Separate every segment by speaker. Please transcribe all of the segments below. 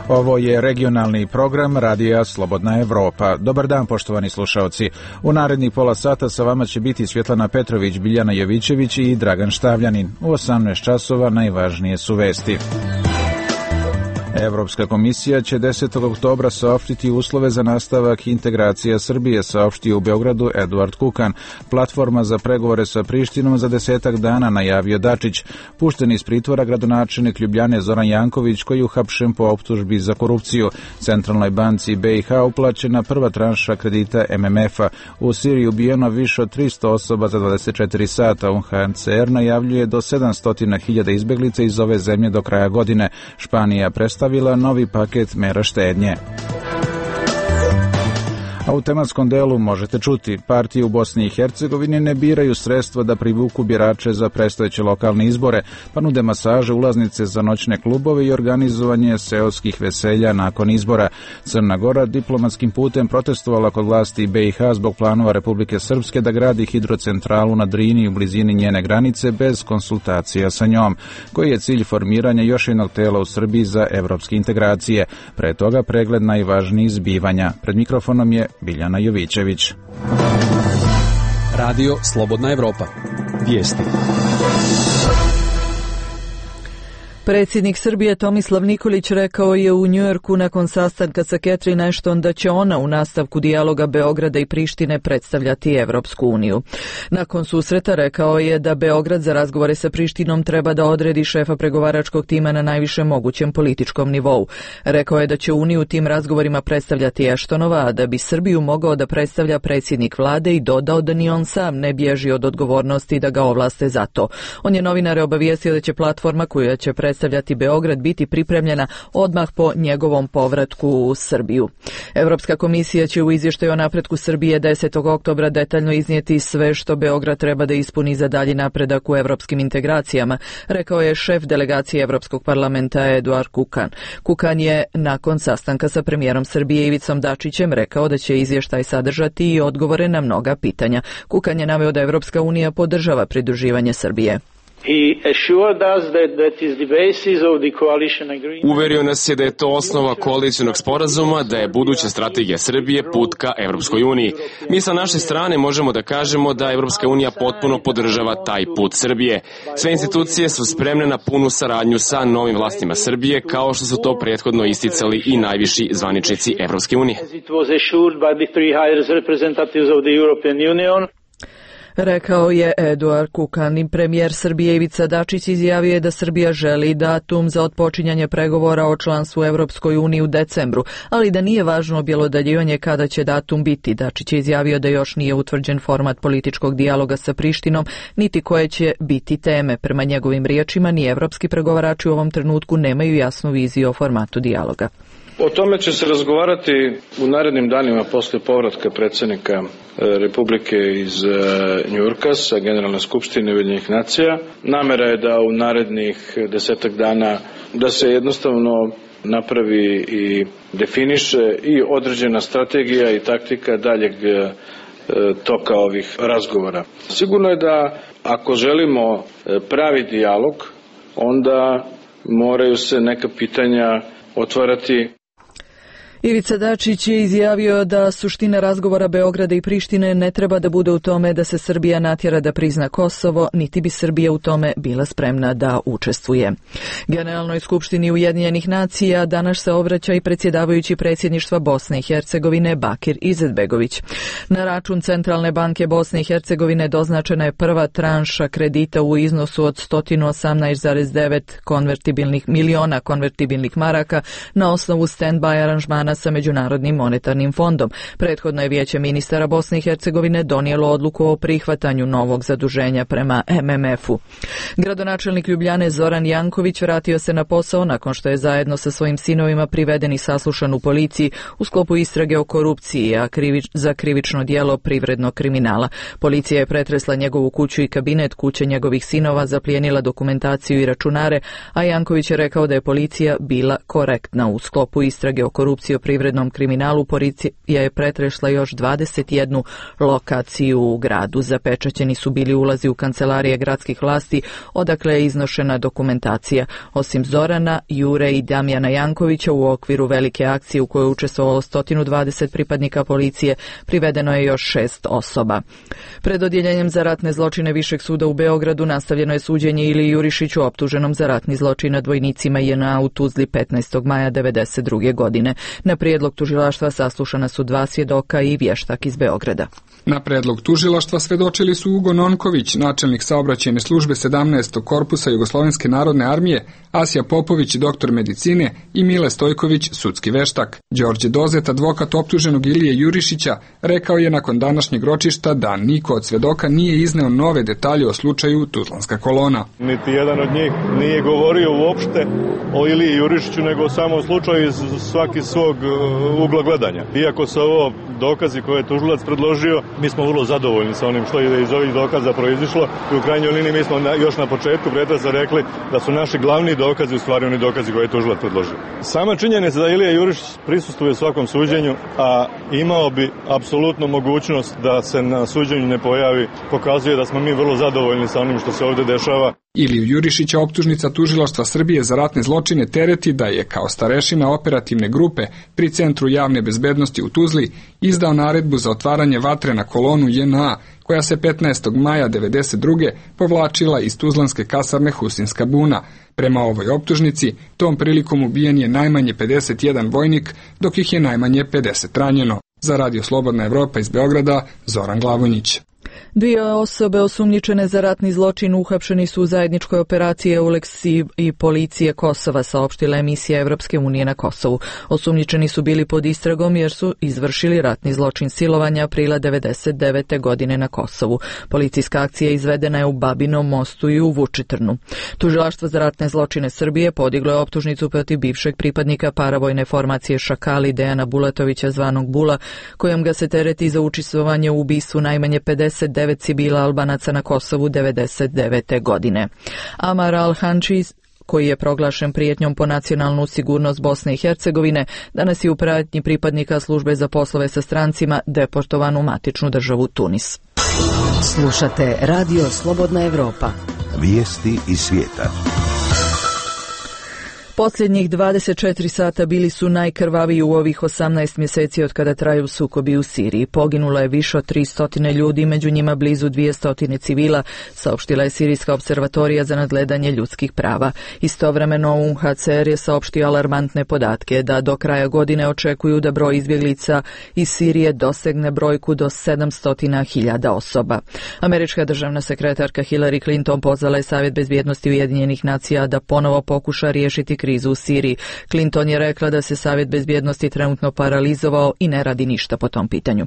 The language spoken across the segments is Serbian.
Speaker 1: Ovo je regionalni program Radija Slobodna Evropa. Dobar dan, poštovani slušaoci. U narednih pola sata sa vama će biti Svjetlana Petrović, Biljana Jovićević i Dragan Štavljanin. U 18 časova najvažnije su vesti. Evropska komisija će 10. oktobra saopštiti uslove za nastavak integracija Srbije, saopštio u Beogradu Eduard Kukan. Platforma za pregovore sa Prištinom za 10 dana, najavio Dačić. Pušten iz pritvora gradonačelnik Ljubljane Zoran Janković, koji je uhapšen po optužbi za korupciju. Centralnoj banci BiH uplaćena prva tranša kredita MMF-a. U Siriji ubijeno više od 300 osoba za 24 sata. UNHCR najavljuje do 700.000 izbeglica iz ove zemlje do kraja godine. Španija predstavila novi paket mera štednje. A u tematskom delu možete čuti, partije u Bosni i Hercegovini ne biraju sredstva da privuku birače za predstojeće lokalne izbore, pa nude masaže, ulaznice za noćne klubove i organizovanje seoskih veselja nakon izbora. Crna Gora diplomatskim putem protestovala kod vlasti BiH zbog planova Republike Srpske da gradi hidrocentralu na Drini u blizini njene granice bez konsultacija sa njom, koji je cilj formiranja još jednog tela u Srbiji za evropske integracije. Pre toga pregled najvažnijih zbivanja. Pred mikrofonom je Biljana Jovićević.
Speaker 2: Radio Slobodna Evropa. Vijesti.
Speaker 3: Predsjednik Srbije Tomislav Nikolić rekao je u Njujorku nakon sastanka sa Catherine Ashton da će ona u nastavku dijaloga Beograda i Prištine predstavljati Evropsku uniju. Nakon susreta rekao je da Beograd za razgovore sa Prištinom treba da odredi šefa pregovaračkog tima na najvišem mogućem političkom nivou. Rekao je da će uniju u tim razgovorima predstavljati Ashtonova, a da bi Srbiju mogao da predstavlja predsjednik vlade, i dodao da ni on sam ne bježi od odgovornosti da ga ovlaste za to. On je novinare obavijestio da će platforma koja će predstavljati Beograd biti pripremljena odmah po njegovom povratku u Srbiju. Evropska komisija će u izvještaju o napretku Srbije 10. oktobra detaljno iznijeti sve što Beograd treba da ispuni za dalji napredak u evropskim integracijama, rekao je šef delegacije Evropskog parlamenta Eduard Kukan. Kukan je nakon sastanka sa premijerom Srbije Ivicom Dačićem rekao da će izvještaj sadržati i odgovore na mnoga pitanja. Kukan je naveo da Evropska unija podržava pridruživanje Srbije.
Speaker 4: Uverio nas je da je to osnova koalicionog sporazuma, da je buduća strategija Srbije put ka Evropskoj uniji. Mi sa naše strane možemo da kažemo da Evropska unija potpuno podržava taj put Srbije. Sve institucije su spremne na punu saradnju sa novim vlastima Srbije, kao što su to prethodno isticali i najviši zvaničnici Evropske unije.
Speaker 3: Rekao je Eduard Kukan. Premijer Srbije Ivica Dačić izjavio je da Srbija želi datum za otpočinjanje pregovora o članstvu u Evropskoj uniji u decembru, ali da nije važno objelodaljivanje kada će datum biti. Dačić je izjavio da još nije utvrđen format političkog dijaloga sa Prištinom, niti koje će biti teme. Prema njegovim riječima, ni evropski pregovarači u ovom trenutku nemaju jasnu viziju o formatu dijaloga.
Speaker 5: O tome će se razgovarati u narednim danima posle povratka predsjednika Republike iz Njujorka sa Generalne skupštine Ujedinjenih nacija. Namera je da u narednih 10 dana da se jednostavno napravi i definiše i određena strategija i taktika daljeg toka ovih razgovora. Sigurno je da ako želimo pravi dijalog, onda moraju se neka pitanja otvarati.
Speaker 3: Ivica Dačić je izjavio da suština razgovora Beograda i Prištine ne treba da bude u tome da se Srbija natjera da prizna Kosovo, niti bi Srbija u tome bila spremna da učestvuje. Generalnoj skupštini Ujedinjenih nacija danas se obraća i predsjedavajući predsjedništva Bosne i Hercegovine Bakir Izetbegović. Na račun Centralne banke Bosne i Hercegovine doznačena je prva tranša kredita u iznosu od 118,9 miliona konvertibilnih maraka na osnovu stand-by aranžmana sa Međunarodnim monetarnim fondom. Prethodno je Vijeće ministara Bosne i Hercegovine donijelo odluku o prihvatanju novog zaduženja prema MMF-u. Gradonačelnik Ljubljane Zoran Janković vratio se na posao nakon što je zajedno sa svojim sinovima priveden i saslušan u policiji u sklopu istrage o korupciji, a za krivično djelo privrednog kriminala. Policija je pretresla njegovu kuću i kabinet, kuće njegovih sinova, zaplijenila dokumentaciju i računare, a Janković je rekao da je policija bila korektna u sklopu istrage o korupciji privrednom kriminalu, policija je pretresla još 21 lokaciju u gradu. Zapečaćeni su bili ulazi u kancelarije gradskih vlasti, odakle je iznošena dokumentacija. Osim Zorana, Jure i Damjana Jankovića, u okviru velike akcije u kojoj je učestvovalo 120 pripadnika policije, privedeno je još 6 osoba. Pred odjeljenjem za ratne zločine Višeg suda u Beogradu nastavljeno je suđenje Iliji Jurišiću, optuženom za ratni zločin nad vojnicima JNA u Tuzli 15. maja 1992. godine. Na prijedlog tužilaštva saslušana su 2 svjedoka i vještak iz Beograda.
Speaker 6: Na predlog tužilaštva svedočili su Ugo Nonković, načelnik saobraćajne službe 17. korpusa Jugoslovenske narodne armije, Asja Popović, doktor medicine i Mile Stojković, sudski veštak. Đorđe Dozet, advokat optuženog Ilije Jurišića, rekao je nakon današnjeg ročišta da niko od svedoka nije izneo nove detalje o slučaju Tuzlanska kolona.
Speaker 7: Niti jedan od njih nije govorio uopšte o Iliji Jurišiću, nego samo o slučaju iz svaki svog ugla gledanja. Iako su ovo dokazi koje je tužilac predložio, mi smo vrlo zadovoljni sa onim što je iz ovih dokaza proizišlo i u krajnjoj liniji mi smo još na početku pretresa rekli da su naši glavni dokazi u stvari oni dokazi koje je tužilac predložio. Sama činjenica da Ilija Jurišić prisustvuje u svakom suđenju, a imao bi apsolutnu mogućnost da se na suđenju ne pojavi, pokazuje da smo mi vrlo zadovoljni sa onim što se ovdje dešava.
Speaker 6: Iliju Jurišića optužnica tužilaštva Srbije za ratne zločine tereti da je kao starešina operativne grupe pri Centru javne bezbednosti u Tuzli izdao naredbu za otvaranje vatre na kolonu JNA, koja se 15. maja 1992. povlačila iz tuzlanske kasarne Husinska buna. Prema ovoj optužnici, tom prilikom ubijen je najmanje 51 vojnik, dok ih je najmanje 50 ranjeno. Za Radio Slobodna Evropa iz Beograda, Zoran Glavonjić.
Speaker 3: 2 osobe osumnjičene za ratni zločin uhapšeni su u zajedničkoj operaciji EULEX i policije Kosova, saopštila emisija Evropske unije na Kosovu. Osumnjičeni su bili pod istragom jer su izvršili ratni zločin silovanja aprila 1999. godine na Kosovu. Policijska akcija izvedena je u Babinom Mostu i u Vučitrnu. Tužilaštvo za ratne zločine Srbije podiglo je optužnicu protiv bivšeg pripadnika paravojne formacije Šakali Dejana Bulatovića zvanog Bula, kojom ga se tereti za učestvovanje u ubistvu najmanje 59 civila Albanaca na Kosovu 1999. godine. Amar Al-Hanči, koji je proglašen prijetnjom po nacionalnu sigurnost Bosne i Hercegovine, danas je u pratnji pripadnika službe za poslove sa strancima deportovan u matičnu državu Tunis.
Speaker 8: Slušate Radio Slobodna Evropa.
Speaker 9: Vijesti iz svijeta.
Speaker 3: Posljednjih 24 sata bili su najkrvaviji u ovih 18 mjeseci od kada traju sukobi u Siriji. Poginulo je više od 300 ljudi, među njima blizu 200 civila, saopštila je Sirijska observatorija za nadgledanje ljudskih prava. Istovremeno UNHCR je saopštio alarmantne podatke da do kraja godine očekuju da broj izbjeglica iz Sirije dosegne brojku do 700.000 osoba. Američka državna sekretarka Hillary Clinton pozvala je Savjet bezbjednosti Ujedinjenih nacija da ponovo pokuša riješiti krizu u Siriji. Clinton je rekla da se Savjet bezbjednosti trenutno paralizovao i ne radi ništa po tom pitanju.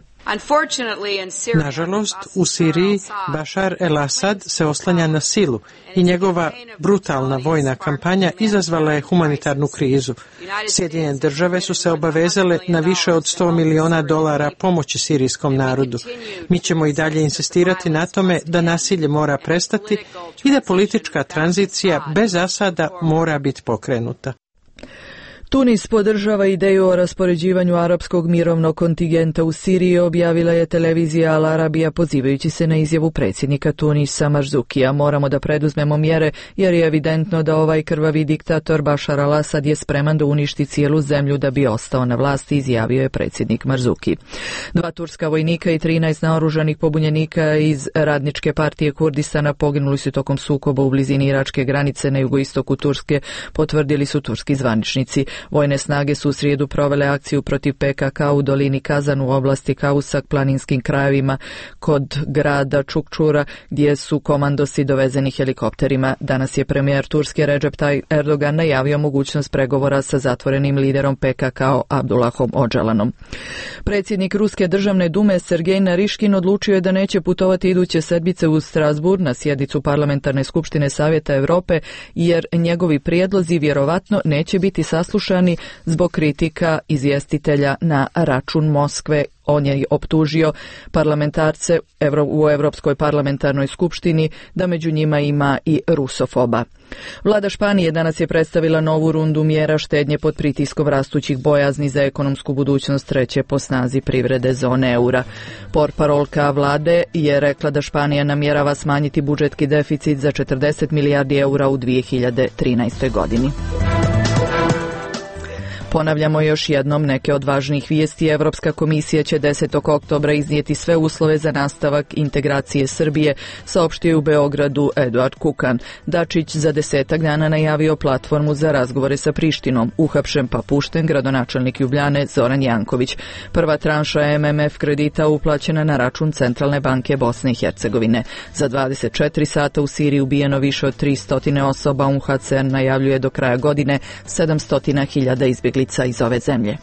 Speaker 10: Nažalost, u Siriji Bashar el-Assad se oslanja na silu i njegova brutalna vojna kampanja izazvala je humanitarnu krizu. Sjedinjene države su se obavezale na više od $100 miliona pomoći sirijskom narodu. Mi ćemo i dalje insistirati na tome da nasilje mora prestati i da politička tranzicija bez Asada mora biti pokrenuta.
Speaker 3: Tunis podržava ideju o raspoređivanju arapskog mirovnog kontingenta u Siriji, objavila je televizija Al Arabija pozivajući se na izjavu predsjednika Tunisa Marzukija. Moramo da preduzmemo mjere jer je evidentno da ovaj krvavi diktator Bashar al-Assad je spreman da uništi cijelu zemlju da bi ostao na vlasti, izjavio je predsjednik Marzuki. 2 turska vojnika i 13 naoružanih pobunjenika iz Radničke partije Kurdistana poginuli su tokom sukoba u blizini iračke granice na jugoistoku Turske, potvrdili su turski zvaničnici. Vojne snage su u srijedu provele akciju protiv PKK u dolini Kazan u oblasti Kausak, planinskim krajevima kod grada Čukčura, gdje su komandosi dovezeni helikopterima. Danas je premijer Turske Recep Tayyip Erdogan najavio mogućnost pregovora sa zatvorenim liderom PKK Abdullahom Odžalanom. Predsjednik Ruske državne dume Sergej Nariškin odlučio je da neće putovati iduće sedmice u Strasbourg na sjednicu Parlamentarne skupštine Savjeta Europe, jer njegovi prijedlozi vjerovatno neće biti saslušani zbog kritika izvjestitelja na račun Moskve On je optužio parlamentarce u Evropskoj parlamentarnoj skupštini da među njima ima i rusofoba. Vlada Španije danas je predstavila novu rundu mjera štednje pod pritiskom rastućih bojazni za ekonomsku budućnost treće po snazi privrede zone eura. Portparolka vlade je rekla da Španija namjerava smanjiti budžetski deficit za 40 milijardi eura u 2013. godini. Ponavljamo još jednom neke od važnijih vijesti. Evropska komisija će 10. oktobra iznijeti sve uslove za nastavak integracije Srbije, saopštio je u Beogradu Eduard Kukan. Dačić za 10 dana najavio platformu za razgovore sa Prištinom. Uhapšen pa pušten gradonačelnik Ljubljane Zoran Janković. Prva tranša MMF kredita uplaćena na račun Centralne banke Bosne i Hercegovine. Za 24 sata u Siriji ubijeno više od 300 osoba. UNHCR najavljuje do kraja godine 700.000 izbjeglica iz ove zemlje.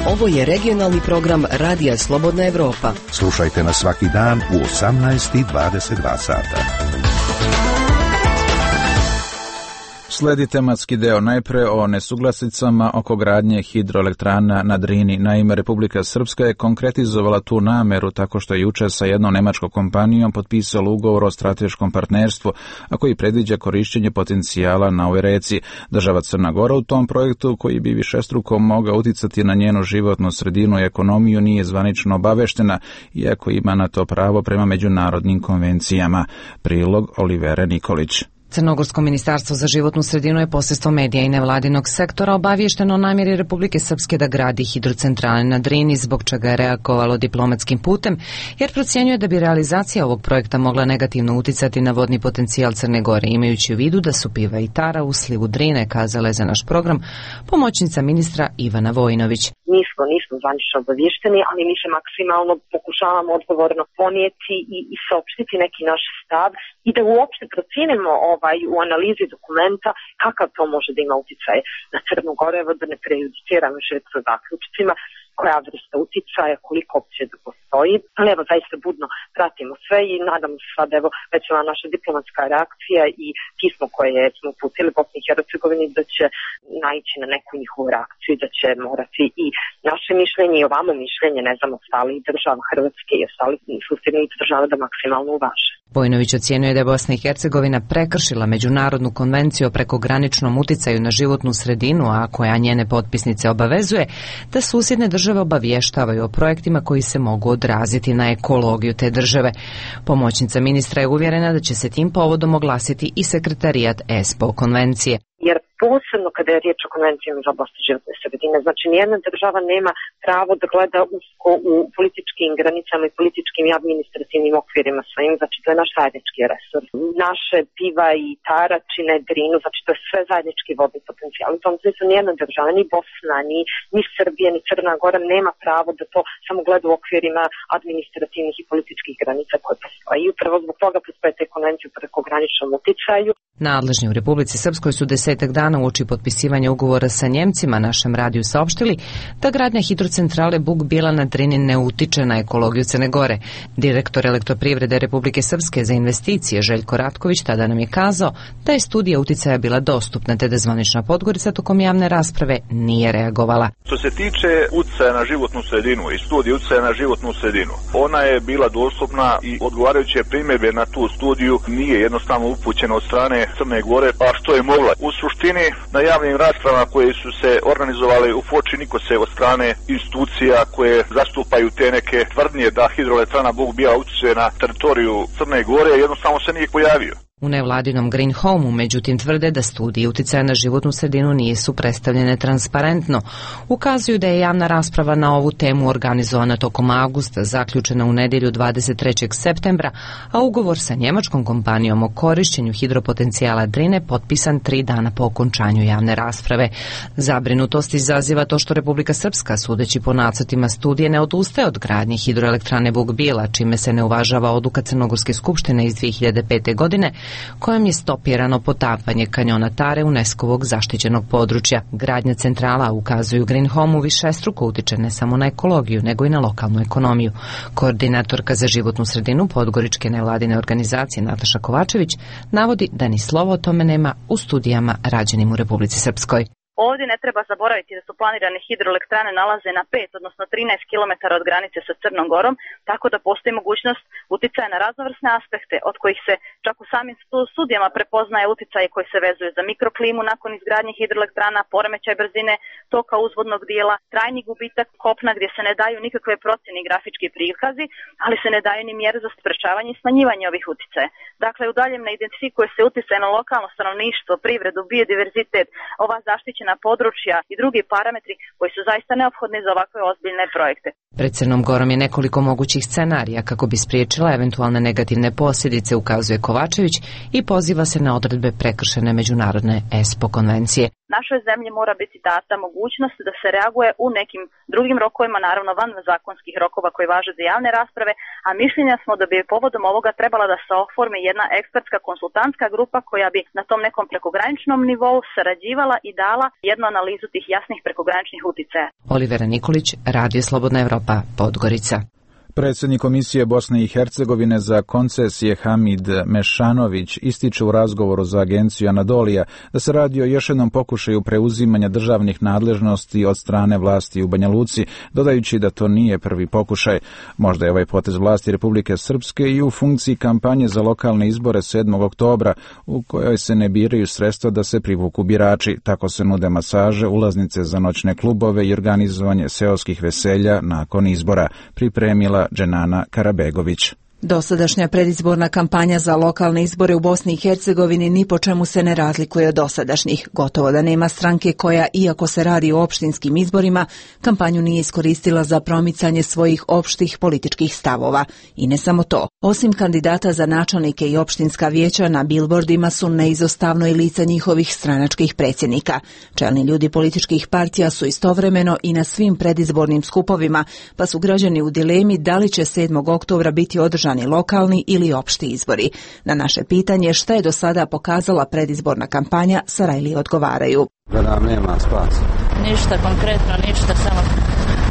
Speaker 8: Ovo je regionalni program Radija Slobodna Evropa.
Speaker 9: Slušajte nas svaki dan u 18:22 sata.
Speaker 1: Sledi tematski deo najpre o nesuglasicama oko gradnje hidroelektrana na Drini. Naime, Republika Srpska je konkretizovala tu nameru tako što je juče sa jednom nemačkom kompanijom potpisala ugovor o strateškom partnerstvu, a koji predviđa korišćenje potencijala na ovoj reci. Država Crna Gora u tom projektu, koji bi višestruko mogao uticati na njenu životnu sredinu i ekonomiju, nije zvanično obaveštena, iako ima na to pravo prema međunarodnim konvencijama. Prilog Olivere Nikolić.
Speaker 11: Crnogorsko ministarstvo za životnu sredinu je posredstvom medija i nevladinog sektora obaviješteno o namjeri Republike Srpske da gradi hidrocentrale na Drini, zbog čega je reagovalo diplomatskim putem, jer procjenjuje da bi realizacija ovog projekta mogla negativno uticati na vodni potencijal Crne Gore, imajući u vidu da su piva i tara u slivu Drine, kazala je za naš program pomoćnica ministra Ivana Vojinović.
Speaker 12: Nismo zvanično obavješteni, ali mi se maksimalno pokušavamo odgovorno ponijeti i saopštiti neki naš stav i da uopšte procijenimo u analizi dokumenta kakav to može da ima utjecaj na Crnu Goru, da ne prejudiciramo još sa zaključcima koja vrsta uticaja, koliko opcije da postoji. Ali evo, zaista budno pratimo sve i nadamo se sad, evo, već ova naša diplomatska reakcija i pismo koje smo uputili Bosni i Hercegovini da će naići na neku njihovu reakciju i da će morati i naše mišljenje i ovamo mišljenje, ne znam, ostalih država Hrvatske i ostalih susjednih država da maksimalno uvaže.
Speaker 11: Vojinović ocjenjuje da je Bosna i Hercegovina prekršila međunarodnu konvenciju o prekograničnom uticaju na životnu sredinu, a koja njene potpisnice obavezuje da susjedne države obavještavaju o projektima koji se mogu odraziti na ekologiju te države. Pomoćnica ministra je uvjerena da će se tim povodom oglasiti i sekretarijat ESPO konvencije.
Speaker 12: Jer posebno kada je riječ o konvencijama za oblast životne sredine, znači nijedna država nema pravo da gleda usko u političkim granicama i političkim i administrativnim okvirima svojim, znači to je naš zajednički resurs. Naše piva i tara čine Drinu, znači to je sve zajednički vodni potencijal. U tom smislu nijedna država, ni Bosna, ni Srbija, ni Crna Gora nema pravo da to samo gleda u okvirima administrativnih i političkih granica koje postoje. I upravo zbog toga postoje te konvencije o prekograničnom uticaju.
Speaker 11: Nadležni u Republici Srpskoj su 10 dana uoči potpisivanja ugovora sa Njemcima našem radiju saopštili da gradnja hidrocentrale Buk Bila na Drini ne utiče na ekologiju Crne Gore. Direktor Elektroprivrede Republike Srpske za investicije Željko Ratković tada nam je kazao da je studija uticaja bila dostupna, te da zvanična Podgorica tokom javne rasprave nije reagovala.
Speaker 13: Što se tiče uticaja na životnu sredinu i studije uticaja na životnu sredinu, ona je bila dostupna i odgovarajuće primjedbe na tu studiju nije jednostavno upućena od strane Crne Gore, pa što je mogla. U suštini, na javnim raspravama koje su se organizovali u Foči, niko se od strane institucija koje zastupaju te neke tvrdnje da hidroelektrana Buk Bila utiče na teritoriju Crne Gore, jednostavno se nije pojavio.
Speaker 11: U nevladinom Green Home-u međutim tvrde da studije uticaja na životnu sredinu nisu predstavljene transparentno. Ukazuju da je javna rasprava na ovu temu organizovana tokom avgusta, zaključena u nedjelju 23. septembra, a ugovor sa njemačkom kompanijom o korišćenju hidropotencijala Drine potpisan 3 dana po okončanju javne rasprave. Zabrinutost izaziva to što Republika Srpska, sudeći po nacrtima studije, ne odustaje od gradnje hidroelektrane Buk Bila, čime se ne uvažava odluka Crnogorske skupštine iz 2005. godine, kojom je stopirano potapanje kanjona Tare UNESCO-vog zaštićenog područja. Gradnja centrala, ukazuju Green Home-u, višestruko utiče ne samo na ekologiju, nego i na lokalnu ekonomiju. Koordinatorka za životnu sredinu podgoričke nevladine organizacije Nataša Kovačević navodi da ni slovo o tome nema u studijama rađenim u Republici Srpskoj.
Speaker 14: Ovdje ne treba zaboraviti da su planirane hidroelektrane nalaze na 5, odnosno 13 km od granice sa Crnom Gorom, tako da postoji mogućnost uticaja na raznovrsne aspekte, od kojih se čak u samim studijama prepoznaje uticaje koji se vezuju za mikroklimu nakon izgradnje hidroelektrana, poremećaj brzine toka uzvodnog dijela, trajni gubitak kopna gdje se ne daju nikakve procjene i grafički prikazi, ali se ne daju ni mjere za sprečavanje i smanjivanje ovih uticaja. Dakle, u daljem ne identifikuje se uticaj na lokalno stanovništvo, privredu, biodiverzitet, ova zaštićena područja i drugi parametri koji su zaista neophodni za ovakve ozbiljne projekte.
Speaker 11: Pred Crnom Gorom je nekoliko mogućih scenarija kako bi spriječila eventualne negativne posljedice, ukazuje Kovačević i poziva se na odredbe prekršene međunarodne ESPO konvencije.
Speaker 14: Našoj zemlji mora biti data mogućnost da se reaguje u nekim drugim rokovima, naravno van zakonskih rokova koji važe za javne rasprave, a mišljenja smo da bi povodom ovoga trebala da se oformi jedna ekspertska konsultantska grupa koja bi na tom nekom prekograničnom nivou sarađivala i dala jednu analizu tih jasnih prekograničnih uticaja.
Speaker 11: Olivera Nikolić, Radio Slobodna Evropa, Podgorica.
Speaker 1: Predsjednik Komisije Bosne i Hercegovine za koncesije Hamid Mešanović ističe u razgovoru za agenciju Anadolija da se radi o još jednom pokušaju preuzimanja državnih nadležnosti od strane vlasti u Banja Luci, dodajući da to nije prvi pokušaj. Možda je ovaj potez vlasti Republike Srpske i u funkciji kampanje za lokalne izbore 7. oktobra, u kojoj se ne biraju sredstva da se privuku birači. Tako se nude masaže, ulaznice za noćne klubove i organizovanje seoskih veselja nakon izbora, pripremila Dženana Karabegović.
Speaker 15: Dosadašnja predizborna kampanja za lokalne izbore u Bosni i Hercegovini ni po čemu se ne razlikuje od dosadašnjih. Gotovo da nema stranke koja, iako se radi o opštinskim izborima, kampanju nije iskoristila za promicanje svojih opštih političkih stavova. I ne samo to. Osim kandidata za načelnike i opštinska vijeća, na bilbordima su neizostavno i lica njihovih stranačkih predsjednika. Čelni ljudi političkih partija su istovremeno i na svim predizbornim skupovima, pa su građani u dilemi da li će 7. oktobra biti održani lokalni ili opšti izbori. Na naše pitanje šta je do sada pokazala predizborna kampanja, Sarajli odgovaraju.
Speaker 16: Da nam nema spasa.
Speaker 17: Ništa konkretno, ništa, samo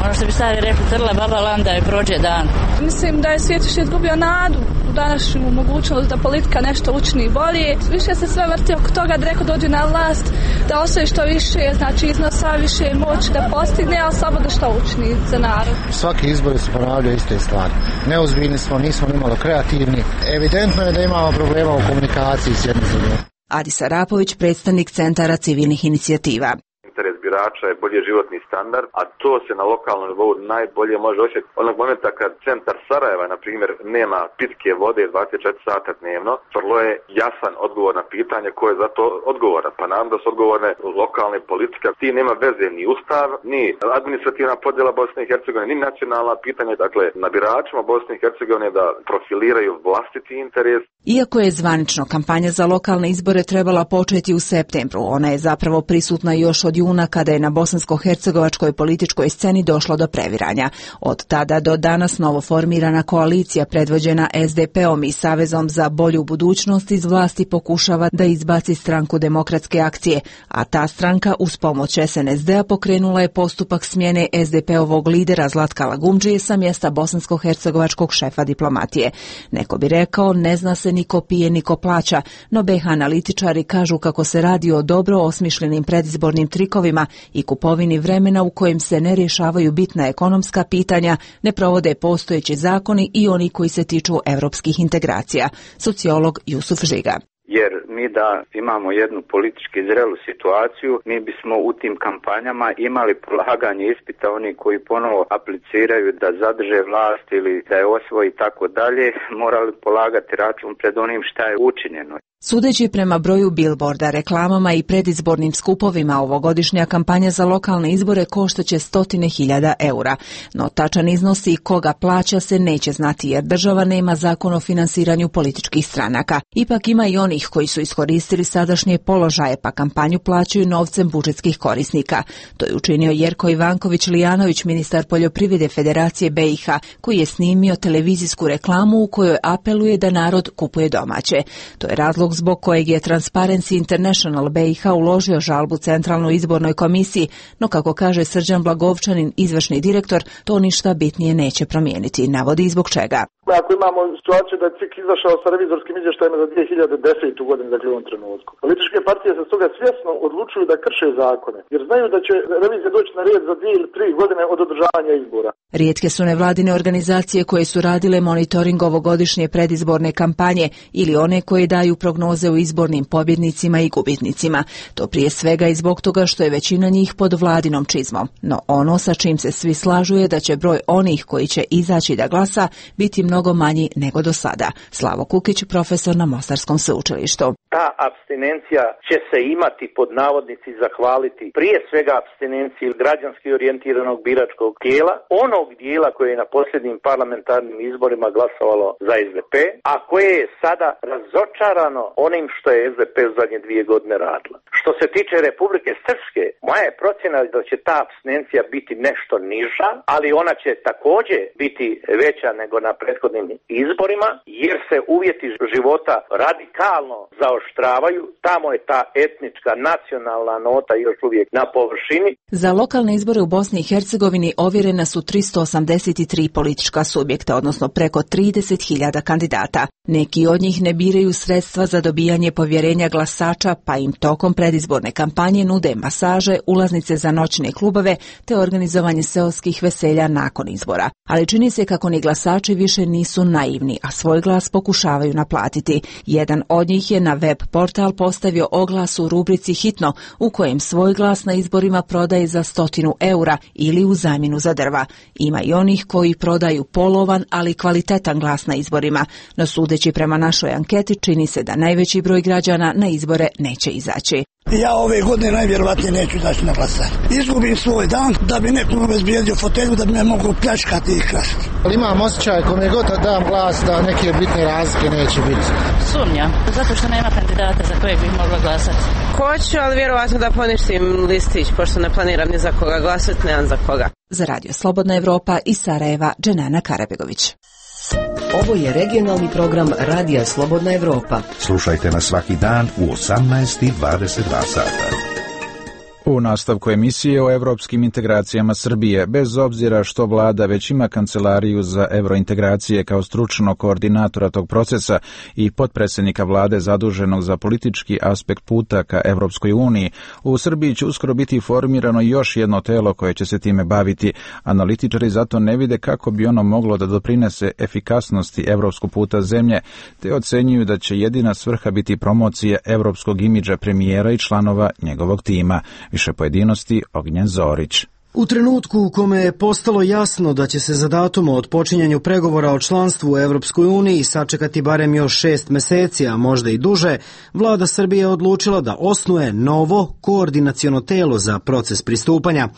Speaker 17: ono što bi stari rekli, trla baba landa i prođe dan.
Speaker 18: Mislim da je svijet više izgubio nadu u današnju mogućnost da politika nešto učini bolje. Više se sve vrti oko toga da neko dođe na vlast, da osvoji što više, znači iznosa više moći da postigne, ali samo da što učini za narod.
Speaker 16: Svaki izbori se ponavljaju iste stvari. Neozbiljni smo, nismo ni malo kreativni. Evidentno je da imamo problema u komunikaciji s jednim drugim.
Speaker 15: Adis Arapović, predstavnik Centara civilnih inicijativa.
Speaker 19: Interes birača je bolji životni standard, a to se na lokalnom nivou najbolje može osjetiti onog momenta kad centar Sarajeva, na primjer, nema pitke vode 24 sata dnevno. Vrlo je jasan odgovor na pitanje ko je za to odgovoran. Pa nam da su odgovorne lokalne politike. Ti nema veze ni ustav, ni administrativna podjela Bosne i Hercegovine, ni nacionalna pitanja. Dakle, na biračima Bosne i Hercegovine da profiliraju vlastiti interes.
Speaker 15: Iako je zvanično kampanja za lokalne izbore trebala početi u septembru, ona je zapravo prisutna još od juna kada je na bosansko-hercegovačkoj političkoj sceni došlo do previranja. Od tada do danas novoformirana koalicija predvođena SDP-om i Savezom za bolju budućnost iz vlasti pokušava da izbaci stranku Demokratske akcije, a ta stranka uz pomoć SNSD-a pokrenula je postupak smjene SDP-ovog lidera Zlatka Lagumdžije sa mjesta bosansko-hercegovačkog šefa diplomatije. Neko bi rekao, ne zna se niko pije, niko plaća, no BiH analitičari kažu kako se radi o dobro osmišljenim predizbornim trikovima i kupovini vremena u kojem se ne rješavaju bitna ekonomska pitanja, ne provode postojeći zakoni i oni koji se tiču europskih integracija. Sociolog Jusuf Žiga.
Speaker 20: Jer mi da imamo jednu politički zrelu situaciju, mi bismo u tim kampanjama imali polaganje ispita, oni koji ponovo apliciraju da zadrže vlast ili da je osvoji i tako dalje, morali polagati račun pred onim šta je učinjeno.
Speaker 15: Sudeći prema broju bilborda, reklamama i predizbornim skupovima, ovogodišnja kampanja za lokalne izbore koštaće 100.000 eura. No tačan iznos i koga plaća se neće znati jer država nema zakon o finansiranju političkih stranaka. Ipak ima i onih koji su iskoristili sadašnje položaje pa kampanju plaćaju novcem budžetskih korisnika. To je učinio Jerko Ivanković-Lijanović, ministar poljoprivrede Federacije BiH, koji je snimio televizijsku reklamu u kojoj apeluje da narod kupuje domaće. To je razlog zbog kojeg je Transparency International BiH uložio žalbu Centralnoj izbornoj komisiji, no kako kaže Srđan Blagovčanin, izvršni direktor, to ništa bitnije neće promijeniti. Navodi zbog čega.
Speaker 21: Ako imamo situaciju da je CIK izašao sa revizorskim izvještajima za 2010. godinu, dakle u ovom trenutku. Političke partije se stoga svjesno odlučuju da krše zakone, jer znaju da će revizija doći na red za 2 ili 3 godine od održavanja izbora.
Speaker 15: Rijetke su nevladine organizacije koje su radile monitoring ovogodišnje predizborne kampanje ili one koje daju prognoze o izbornim pobjednicima i gubitnicima. To prije svega i zbog toga što je većina njih pod vladinom čizmom. No ono sa čim se svi slažu je da će broj onih koji će izaći da glasa biti mnogo manji nego do sada. Slavo Kukić, profesor na Mostarskom sveučilištu.
Speaker 22: Ta apstinencija će se imati pod navodnici zahvaliti prije svega apstinenciji građanski orijentiranog biračkog tijela, onog dijela koje je na posljednjim parlamentarnim izborima glasovalo za SDP, a koje je sada razočarano onim što je SDP u zadnje 2 godine radila. Što se tiče Republike Srpske, moja je procjena da će ta apstinencija biti nešto niža, ali ona će također biti veća nego na prethodnim izborima, jer se uvjeti života radikalno zaoštravaju. Tamo je ta etnička, nacionalna nota još uvijek na površini.
Speaker 15: Za lokalne izbore u Bosni i Hercegovini ovjerena su 383 politička subjekta, odnosno preko 30.000 kandidata. Neki od njih ne biraju sredstva za dobijanje povjerenja glasača, pa im tokom predizborne kampanje nude masaže, ulaznice za noćne klubove te organizovanje seoskih veselja nakon izbora. Ali čini se kako ni glasači više nisu naivni, a svoj glas pokušavaju naplatiti. Jedan od njih je na web portal postavio oglas u rubrici Hitno, u kojem svoj glas na izborima prodaje za 100 eura ili u zamjenu za drva. Ima i onih koji prodaju polovan, ali kvalitetan glas na izborima, no sudeći prema našoj anketi čini se da najveći broj građana na izbore neće izaći.
Speaker 23: Ja ove godine najvjerovatnije neću izaći na glasanje. Izgubim svoj dan da bi neko obezbijedio fotelju da bi me mogu pljačkati i krasti.
Speaker 16: Imam osjećaj kome god da dam glas da neke bitne razlike neće biti.
Speaker 17: Sumnjam, zato što nema kandidata za kojeg bih mogla glasati.
Speaker 24: Hoću, ali vjerovatno da poništim listić, pošto ne planiram ni za koga glasati, nemam za koga.
Speaker 15: Za Radio Slobodna Evropa iz Sarajeva, Dženana Karabegović.
Speaker 8: Ovo je regionalni program Radija Slobodna Evropa.
Speaker 9: Slušajte nas svaki dan u 18:22 sata.
Speaker 1: U nastavku emisije o evropskim integracijama Srbije, bez obzira što vlada već ima kancelariju za evrointegracije kao stručnog koordinatora tog procesa i potpredsjednika vlade zaduženog za politički aspekt puta ka Evropskoj uniji, u Srbiji će uskoro biti formirano još jedno telo koje će se time baviti. Analitičari zato ne vide kako bi ono moglo da doprinese efikasnosti evropskog puta zemlje, te ocenjuju da će jedina svrha biti promocija evropskog imidža premijera i članova njegovog tima. Više pojedinosti Ognjen Zorić.
Speaker 25: U trenutku u kome je postalo jasno da će se za datum o otpočinjanju pregovora o članstvu u Evropskoj uniji sačekati barem još 6 meseci, a možda i duže, vlada Srbije je odlučila da osnuje novo koordinaciono telo za proces pristupanja.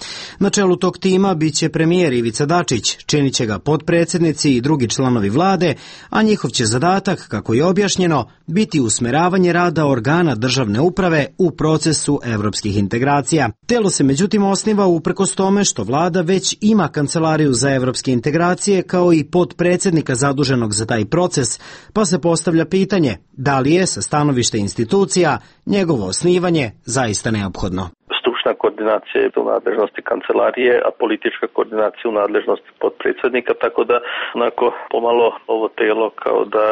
Speaker 25: Na čelu tog tima biće premijer Ivica Dačić, činit će ga potpredsjednici i drugi članovi vlade, a njihov će zadatak, kako je objašnjeno, biti usmeravanje rada organa državne uprave u procesu evropskih integracija. Telo se međutim osniva uprkos tome što vlada već ima kancelariju za evropske integracije kao i potpredsjednika zaduženog za taj proces, pa se postavlja pitanje da li je sa stanovišta institucija njegovo osnivanje zaista neophodno.
Speaker 26: Stručna koordinacija je u nadležnosti kancelarije, a politička koordinacija u nadležnosti potpredsjednika, tako da onako pomalo ovo telo kao da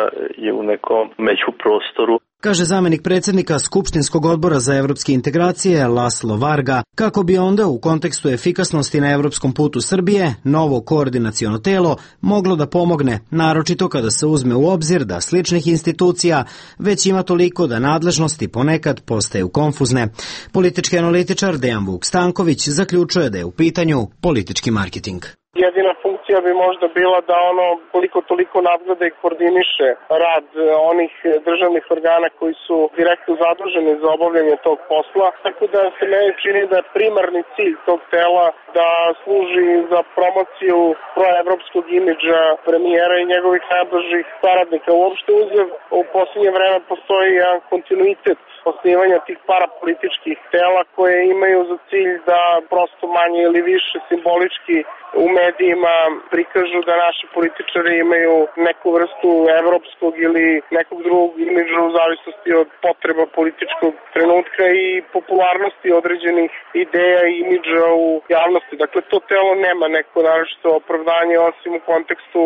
Speaker 26: je u nekom međuprostoru.
Speaker 25: Kaže zamjenik predsjednika Skupštinskog odbora za evropske integracije Laslo Varga, kako bi onda u kontekstu efikasnosti na evropskom putu Srbije novo koordinaciono telo moglo da pomogne, naročito kada se uzme u obzir da sličnih institucija već ima toliko da nadležnosti ponekad postaju konfuzne. Politički analitičar Dejan Vuk Stanković zaključuje da je u pitanju politički marketing.
Speaker 27: Jedina funkcija bi možda bila da ono koliko toliko nadgleda i koordiniše rad onih državnih organa koji su direktno zaduženi za obavljanje tog posla. Tako da se meni čini da je primarni cilj tog tela da služi za promociju proevropskog imidža premijera i njegovih najbližih saradnika. Uopšte uzev, u posljednje vreme postoji jedan kontinuitet osnivanja tih parapolitičkih tela koje imaju za cilj da prosto manje ili više simbolički u medijima prikažu da naši političari imaju neku vrstu evropskog ili nekog drugog imidža u zavisnosti od potreba političkog trenutka i popularnosti određenih ideja i imidža u javnosti. Dakle, to telo nema neko naročito opravdanje osim u kontekstu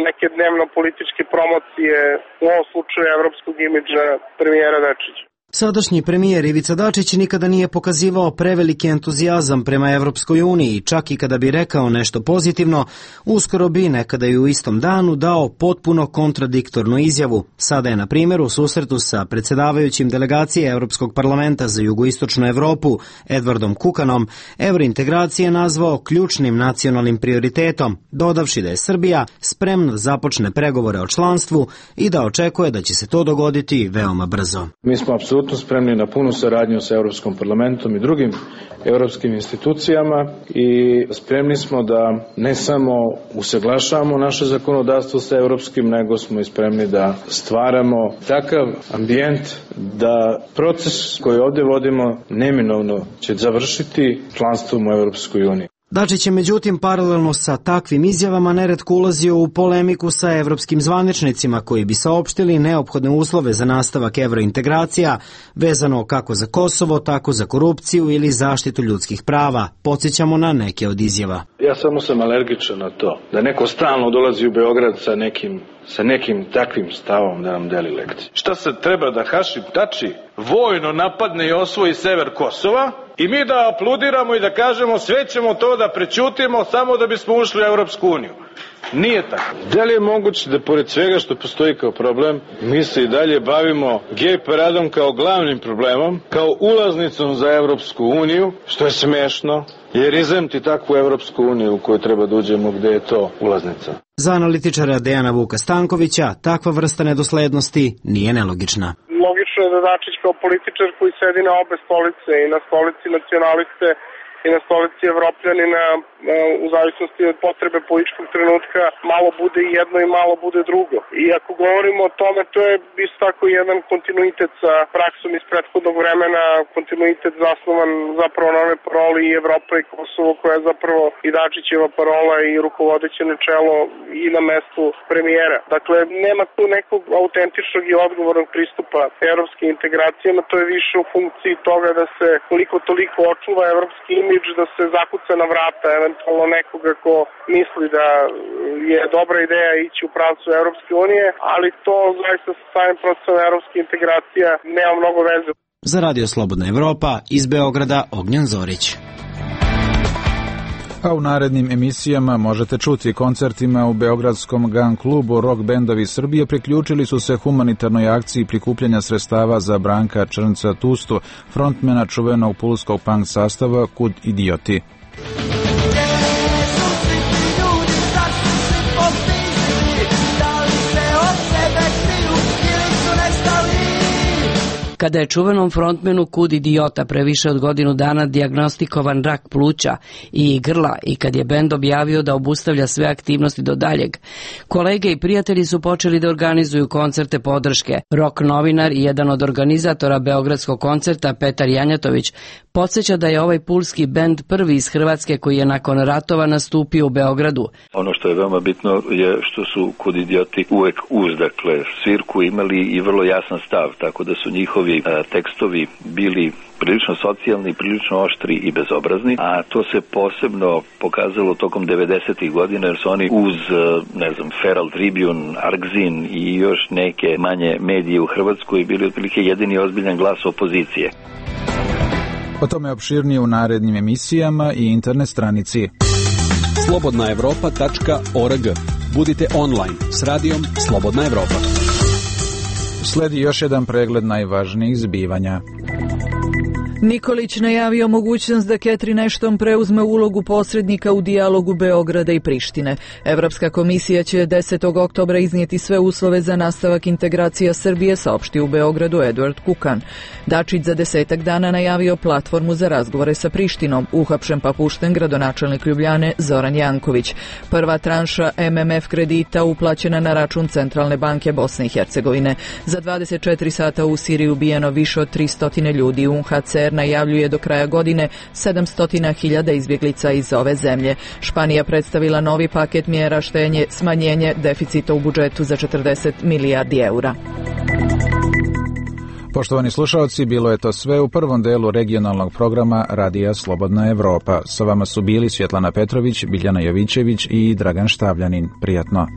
Speaker 27: neke dnevno-političke promocije, u ovom slučaju evropskog imidža premijera Dačića.
Speaker 25: Sadašnji premijer Ivica Dačić nikada nije pokazivao preveliki entuzijazam prema Evropskoj uniji, čak i kada bi rekao nešto pozitivno, uskoro bi nekada i u istom danu dao potpuno kontradiktornu izjavu. Sada je, na primjer, u susretu sa predsjedavajućim delegacije Europskog parlamenta za jugoistočnu Evropu, Edwardom Kukanom, evrointegracije nazvao ključnim nacionalnim prioritetom, dodavši da je Srbija spremna da započne pregovore o članstvu i da očekuje da će se to dogoditi veoma brzo.
Speaker 2: Mi smo apsolutno spremni na punu saradnju sa Europskom parlamentom i drugim europskim institucijama i spremni smo da ne samo usaglašavamo naše zakonodavstvo sa europskim, nego smo i spremni da stvaramo takav ambijent da proces koji ovdje vodimo neminovno će završiti članstvom u Europskoj uniji.
Speaker 25: Dačić je međutim paralelno sa takvim izjavama neretko ulazio u polemiku sa evropskim zvaničnicima koji bi saopštili neophodne uslove za nastavak evrointegracija vezano kako za Kosovo, tako za korupciju ili zaštitu ljudskih prava. Podsjećamo na neke od izjava.
Speaker 2: Ja samo sam alergičan na to da neko stalno dolazi u Beograd sa nekim takvim stavom da nam deli lekcije. Šta se treba da Hašim Tači vojno napadne i osvoji sever Kosova i mi da apludiramo i da kažemo sve ćemo to da prećutimo samo da bismo ušli u Evropsku uniju? Nije tako. Da li je moguće da pored svega što postoji kao problem, mi se i dalje bavimo gej paradom kao glavnim problemom, kao ulaznicom za Evropsku uniju, što je smešno, jer izemti takvu Evropsku uniju u kojoj treba da uđemo gde je to ulaznica.
Speaker 25: Za analitičara Dejana Vuka Stankovića takva vrsta nedoslednosti nije nelogična.
Speaker 27: Logično je da Dačić kao političar koji sedi na obe stolice, i na stolici nacionaliste i na stolici Evropljanina, u zavisnosti od potrebe političkog trenutka, malo bude jedno i malo bude drugo. I ako govorimo o tome, to je isto tako jedan kontinuitet sa praksom iz prethodnog vremena, kontinuitet zasnovan zapravo na onoj paroli i Evropa i Kosovo, koja je zapravo i Dačićeva parola i rukovodeće načelo i na mestu premijera. Dakle, nema tu nekog autentičnog i odgovornog pristupa evropskim integracijama, to je više u funkciji toga da se koliko toliko očuva evropski imidž, da se zakuca na vrata eventualno nekoga ko misli da je dobra ideja ići u pravcu Evropske unije, ali to zaista sa samim procesom evropskih integracija nema mnogo veze.
Speaker 25: Za Radio Slobodna Evropa iz Beograda Ognjen Zorić.
Speaker 1: A u narednim emisijama možete čuti koncertima u beogradskom GAN klubu Rock bendovi Srbije priključili su se humanitarnoj akciji prikupljanja sredstava za Branka Črnca Tustu, frontmena čuvenog pulskog punk sastava Kud idioti.
Speaker 3: Kada je čuvenom frontmenu Kud idiota pre više od godinu dana dijagnostikovan rak pluća i grla i kad je bend objavio da obustavlja sve aktivnosti do daljeg, kolege i prijatelji su počeli da organizuju koncerte podrške. Rock novinar i jedan od organizatora beogradskog koncerta, Petar Janjatović, podsjeća da je ovaj pulski bend prvi iz Hrvatske koji je nakon ratova nastupio u Beogradu.
Speaker 4: Ono što je veoma bitno je što su Kud idioti uvek uz, dakle, svirku imali i vrlo jasan stav, tako da su njihovi tekstovi bili prilično socijalni, prilično oštri i bezobrazni, a to se posebno pokazalo tokom 90. godina jer su oni uz, Feral Tribune, Argzin i još neke manje medije u Hrvatskoj bili otprilike jedini ozbiljan glas opozicije.
Speaker 1: O tome opširnije u narednim emisijama i internet stranici
Speaker 5: slobodnaevropa.org. Budite online s radijom Slobodna Evropa.
Speaker 1: Sledi još jedan pregled najvažnijih zbivanja.
Speaker 6: Nikolić najavio mogućnost da Catherine Ashton preuzme ulogu posrednika u dijalogu Beograda i Prištine. Evropska komisija će 10. oktobra iznijeti sve uslove za nastavak integracija Srbije, saopštio u Beogradu Edward Kukan. Dačić za 10 dana najavio platformu za razgovore sa Prištinom. Uhapšen pa pušten gradonačelnik Ljubljane Zoran Janković. Prva tranša MMF kredita uplaćena na račun Centralne banke Bosne i Hercegovine. Za 24 sata u Siriji ubijeno više od 300 ljudi. UNHCR premijer najavljuje do kraja godine 700.000 izbjeglica iz ove zemlje. Španija predstavila novi paket mjera štednje, smanjenje deficita u budžetu za 40 milijardi eura.
Speaker 1: Poštovani slušalci, bilo je to sve u prvom delu regionalnog programa Radija Slobodna Evropa. Sa vama su bili Svjetlana Petrović, Biljana Jovićević i Dragan Štavljanin. Prijatno.